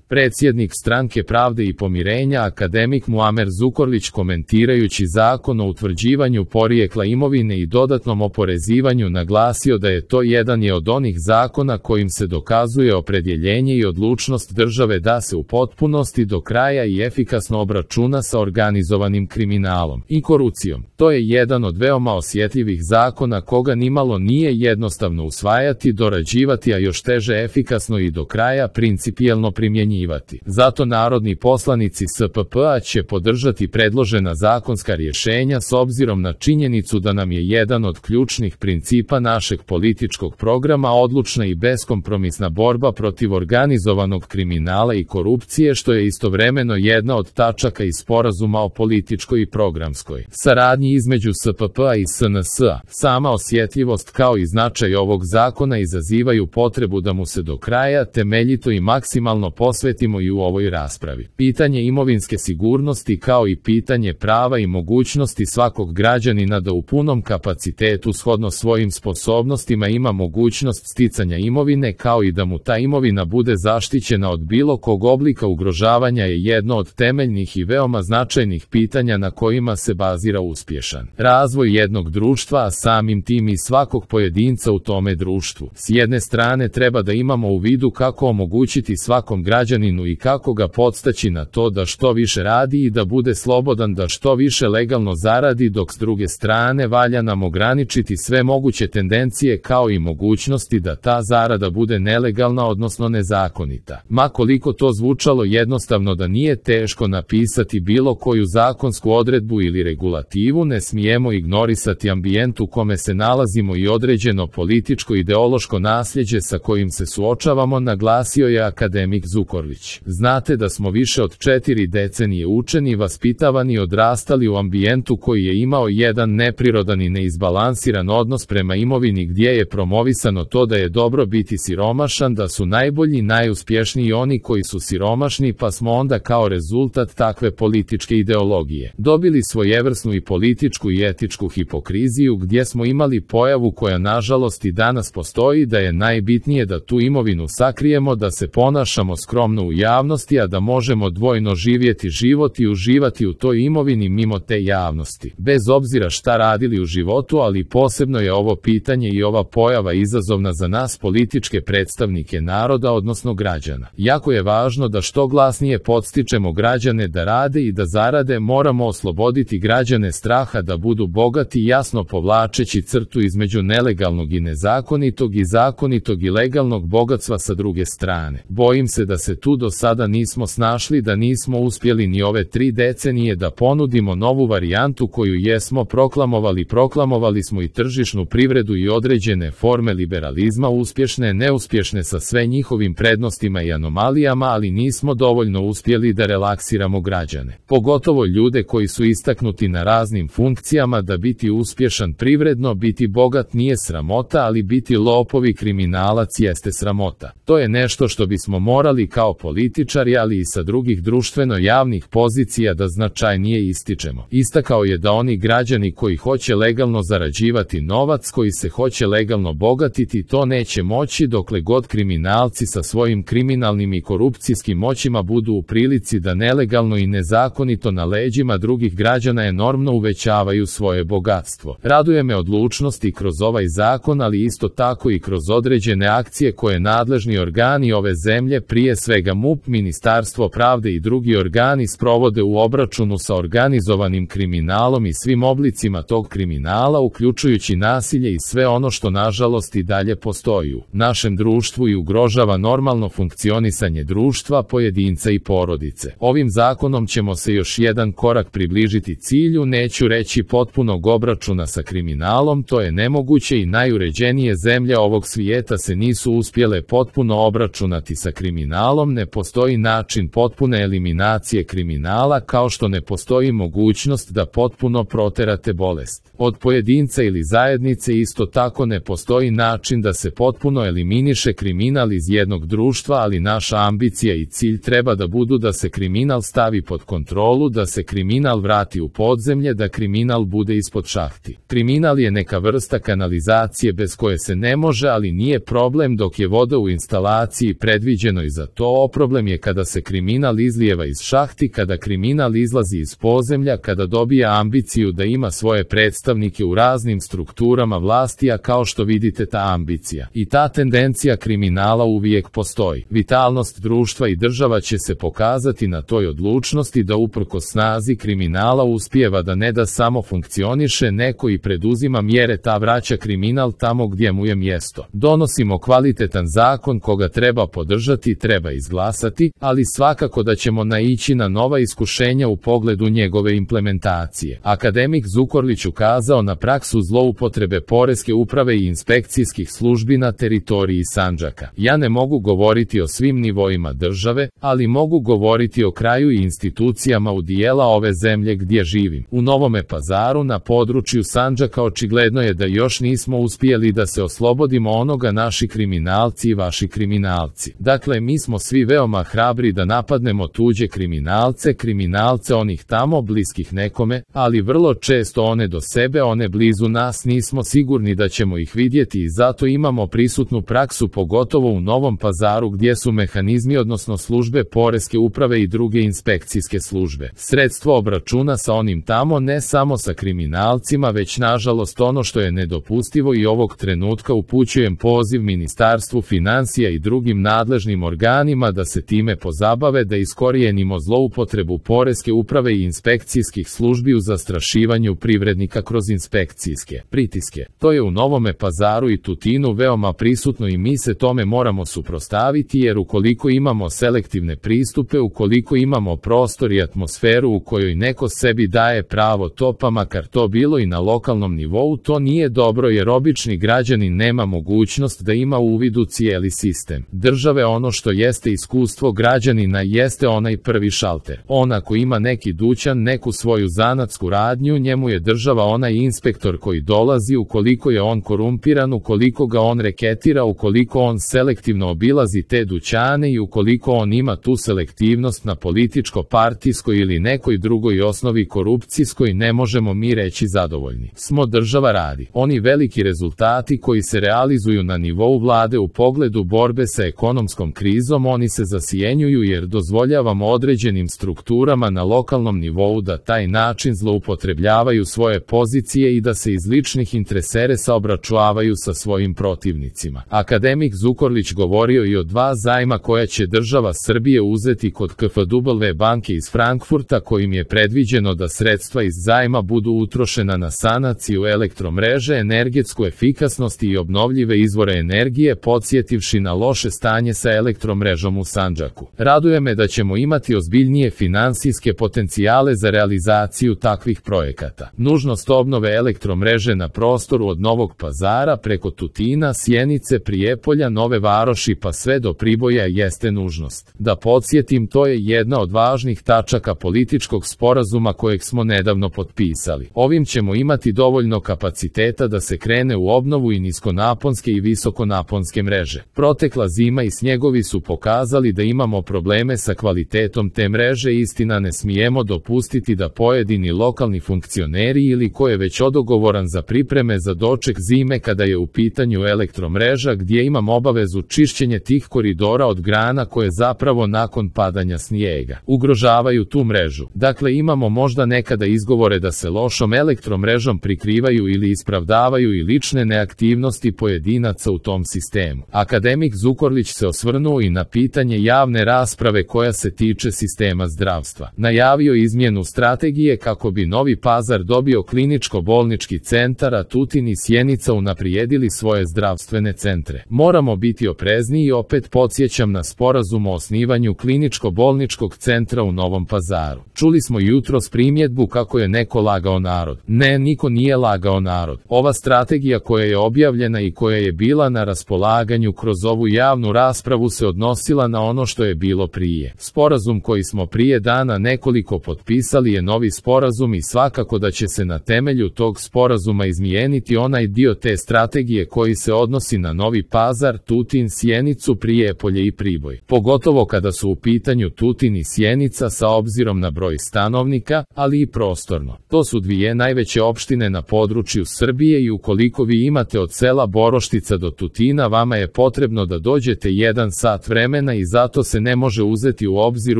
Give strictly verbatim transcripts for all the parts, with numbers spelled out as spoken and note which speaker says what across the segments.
Speaker 1: Predsjednik Stranke pravde i pomirenja akademik Muamer Zukorlić komentirajući Zakon o utvrđivanju porijekla imovine i dodatnom oporezivanju naglasio da je to jedan je od onih zakona kojim se dokazuje opredjeljenje i odlučnost države da se u potpunosti do kraja i efikasno obračuna sa organizovanim kriminalom i korupcijom. To je jedan od veoma osjetljivih zakona koga nimalo nije jednostavno usvajati, dorađivati, a još teže efikasno i do kraja principijelno primjenjivati. Zato narodni poslanici S P P-a će podržati predložena zakonska rješenja s obzirom na činjenicu da nam je jedan od ključnih principa našeg političkog programa odlučna i beskompromisna borba protiv organizovanog kriminala i korupcije, što je istovremeno jedna od tačaka iz sporazuma o političkoj i programskoj saradnji između S P P-a i S N S-a. Sama osjetljivost kao i značaj ovog zakona izazivaju potrebu da mu se do kraja temeljito i maksimalno posvetimo i u ovoj raspravi. Pitanje imovinske sigurnosti kao i pitanje prava i mogućnosti svakog građanina da u punom kapacitetu shodno svojim sposobnostima ima mogućnost sticanja imovine kao i da mu ta imovina bude zaštićena od bilo kog oblika ugrožavanja je jedno od temeljnih i veoma značajnih pitanja na kojima se bazira uspješan razvoj jednog društva, a samim tim i svakog pojedinca u tome društvu. S jedne strane treba da imamo u vidu kako omogućiti svakom građaninu i kako ga podstaći na to da što više radi i da bude slobodan da što više legalno zaradi, dok s druge strane valja nam ograničiti sve moguće tendencije kao i mogućnosti da ta zarada bude nelegalna odnosno nezakonita. Ma koliko to zvučalo jednostavno da nije teško napisati bilo koju zakonsku odredbu ili regulativu, ne smijemo ignorisati ambijent u kome se nalazimo i određeno političko-ideološko nasljeđe sa kojim se suočavamo, naglasio je akademik Zukorlić. Znate da smo više od četiri decenije učeni, vaspitavani i odrastali u ambijentu koji je imao jedan neprirodan i neizbalansiran odnos prema imovini gdje je promovisano to da je dobro biti siromašan, da su najbolji, najuspješniji oni koji su siromašni, pa smo onda kao rezultat takve političke ideologije dobili svojevrsnu i političku i etičku hipokriziju gdje smo imali pojavu koja nažalost i danas postoji, da je najbitnije da tu imovinu sakrijemo, da se ponašamo skromno u javnosti, a da možemo dvojno živjeti život i uživati u toj imovini mimo te javnosti. Bez obzira šta radili u životu, ali posebno je ovo pitanje i ova pojava izazovna za nas političke predstavnike naroda, odnosno građana. Jako je važno da što glasnije podstičemo građane da rade i da zarade, moramo osloboditi građane straha da budu bogati, jasno povlačeći crtu između nelegalnog i nezakonitog i zakonitog i legalnog bogatstva sa druge strane. Bojim se da se tu do sada nismo snašli, da nismo uspjeli ni ove tri decenije da ponudimo novu varijantu koju jesmo proklamovali. Proklamovali smo i tržišnu privredu i određene forme liberalizma, uspješne, neuspješne sa sve njihovim prednostima i anomalijama, ali nismo dovoljno uspjeli da relaksiramo građane. Pogotovo ljude koji su istaknuti na raznim funkcijama, da biti uspješan privredno, biti bogat nije sramota, ali biti lopovi, kriminalac jeste sramota. To je nešto što bismo morali kao političari, ali i sa drugih društveno javnih pozicija da značajnije ističemo. Istakao je da oni građani koji hoće legalno zarađivati novac, koji se hoće legalno bogatiti, to neće moći dokle god kriminalci sa svojim kriminalnim i korupcijskim moćima budu u prilici da nelegalno i nezakonito na leđima drugih građana enormno uvećavaju svoje bogatstvo. Raduje me odlučnost i kroz ovaj zakon, ali isto tako i kroz određene akcije koje nadležni organi ove zemlje, prije svega M U P, Ministarstvo pravde i drugi organi, sprovode u obračunu sa organizovanim kriminalom i svim oblicima tog kriminala, uključujući nasilje i sve ono što nažalost i dalje postoji u našem društvu i ugrožava normalno funkcionisanje društva, pojedinca i porodice. Ovim zakonom ćemo se još jedan korak približiti cilju, neću reći potpunog obračuna sa kriminalom, to je nemoguće i najuređenije zemlje ovog svijeta se nisu uspjele potpuno obračunati sa kriminalom, ne postoji način potpune eliminacije kriminala, kao što ne postoji mogućnost da potpuno proterate bolest od pojedinca ili zajednice. Isto tako ne postoji način da se potpuno eliminiše kriminal iz jednog društva, ali naša ambicija i cilj treba da budu da se kriminal stavi pod kontrolu, da se kriminal vrati u podzemlje, da kriminal bude ispod šahti. Kriminal je neka vrsta kanalizacije bez koje se ne može, ali nije problem dok je voda u instalaciji predviđenoj za to, ovo problem je kada se kriminal izlijeva iz šahti, kada kriminal izlazi iz podzemlja, kada dobija ambiciju da ima svoje predstavnike u raznim strukturama vlasti, a kao što vidite ta ambicija i ta tendencija kriminala uvijek postoji. Vitalnost društva i država će se pokazati na toj odlučnosti da uprkos snazi kriminala uspijeva da ne da samo funkcioniše neko i preduzima mjere, ta vraća kriminal tamo gdje mu je mjesto. Donosimo kvalitetan zakon koga treba podržati, treba izglasati, ali svakako da ćemo naići na nova iskušenja u pogledu njegove implementacije. Akademik Zukorlić ukazao na praksu zloupotrebe poreske uprave i inspekcijskih službi na teritoriji Sandžaka. Ja ne mogu govoriti o svim nivoima države, ali mogu govoriti o kraju i institucijama u dijela ove zemlje gdje živim. U Novome Pazaru na području Sandžaka očigledno je da još nismo uspjeli da se oslobodimo onoga naši kriminalci i vaši kriminalci. Dakle, mi smo svi veoma hrabri da napadnemo tuđe kriminalce, kriminalce onih tamo bliskih nekome, ali vrlo često one do sebe, one blizu nas nismo sigurni da ćemo ih vidjeti i zato imamo prisutnu praksu pogotovo u Novom Pazaru gdje su mehanizmi odnosno službe poreske uprave i druge inspekcijske službe sredstvo obračuna sa onim tamo, ne samo sa kriminalcima, već nažalost ono što je nedopustivo i ovog trenutka upućujem poziv Ministarstvu financija i drugim nadležnim organima da se time pozabave, da iskorijenimo zloupotrebu poreske uprave i inspekcijskih službi u zastrašivanju privrednika kroz inspekcijske pritiske. To je u Novome Pazaru i Tutinu veoma prisutno i mi se tome moramo suprotstaviti, jer ukoliko imamo selektivne pristupe, ukoliko imamo prostor i atmosferu u kojoj neko sebi daje pravo to, pa makar to bilo i na lokalnom nivou, to nije dobro, jer obični građanin nema mogućnost da ima uvid u cijeli sistem države. Ono što jeste iskustvo građanina jeste onaj prvi šalter. On ako ima neki dućan, neku svoju zanatsku radnju, njemu je država onaj inspektor koji dolazi. Ukoliko je on korumpiran, ukoliko ga on reketira, ukoliko on selektivno obilazi te dućane i ukoliko on ima tu selektivnost na političko-partijskoj ili nekoj drugoj osnovi korupcijskoj, ne možemo mi reći zadovoljni smo. Država radi. Oni veliki rezultati koji se realizuju na nivou vlade u pogledu borbe sa ekonomskom krizom, oni se zasjenjuju jer dozvoljavamo određenim strukturama na lokalnom nivou da taj način zloupotrebljavaju svoje pozicije i da se iz ličnih interesa obračunavaju sa svojim protivnicima. Akademik Zukorlić govorio i o dva zajma koja će država Srbije uzeti kod K F W banke iz Frankfurta, kojim je predviđeno da sredstva iz zajma budu utrošena na sanaciju elektromreže, energetsku efikasnost i obnovljive izvore energije, podsjetivši na loše stanje sa elektromrežom u Sandžaku. Raduje me da ćemo imati ozbiljnije finansijske potencijale za realizaciju takvih projekata. Nužnost obnove elektromreže na prostoru od Novog Pazara preko Tutina, Sjenice, Prijepolja, Nove Varoši pa sve do Priboja jeste nužnost. Da podsjetim, to je jedna od važnih tačaka političkog sporazuma kojeg smo nedavno potpisali. Ovim ćemo imati dovoljno kapaciteta da se krene u obnovu i niskonaponske i visokonaponske mreže. Protekla zima i snjegovi su pokazali da imamo probleme sa kvalitetom te mreže. Istina, ne smijemo dopustiti da pojedini lokalni funkcioneri ili ko je već odogovoran za pripreme za doček zime kada je u pitanju elektromreža, gdje imam obavezu čišćenje tih koridora od grana koje zapravo nakon padanja snijega ugrožavaju tu mrežu. Dakle, imamo možda nekada izgovore da se lošom elektromrežom prikrivaju ili ispravdavaju i lične neaktivnosti pojedinaca u tom sistemu. Akademik Zukorlić se osvrnuo i na pitanje javne rasprave koja se tiče sistema zdravstva. Najavio izmjenu strategije kako bi Novi Pazar dobio kliničko-bolnički centar, a Tutin i Sjenica unaprijedili svoje zdravstvene centre. Moramo biti oprezni i opet podsjećam na sporazum o osnivanju kliničko-bolničkog centra u Novom Pazaru. Čuli smo jutros primjedbu kako je neko lagao narod. Ne, niko nije lagao narod. Ova strategija koja je objavljena i koja je bila na raspolaganju kroz ovu javnu raspravu se odnosila na ono što je bilo prije. Sporazum koji smo prije dana nekoliko potpisali je novi sporazum i svakako da će se na temelju tog sporazuma izmijeniti onaj dio te strategije koji se odnosi na Novi Pazar, Tutin, Sjenicu, Prijepolje i Priboj. Pogotovo kada su u pitanju Tutin i Sjenica sa obzirom na broj stanovnika, ali i prostorno. To su dvije najveće opštine na području Srbije i ukoliko vi imate od sela Boroštica do Tutina, vama je potrebno da dođete jedan sat vremena vremena i zato se ne može uzeti u obzir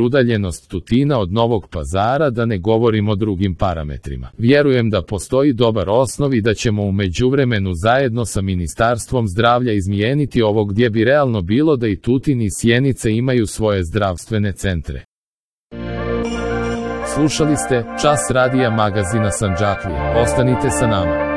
Speaker 1: udaljenost Tutina od Novog Pazara, da ne govorim o drugim parametrima. Vjerujem da postoji dobar osnov i da ćemo u međuvremenu zajedno sa Ministarstvom zdravlja izmijeniti ovo gdje bi realno bilo da i Tutin i Sjenica imaju svoje zdravstvene centre. Slušali ste Čas radija magazina Sandžaklija. Ostanite sa nama.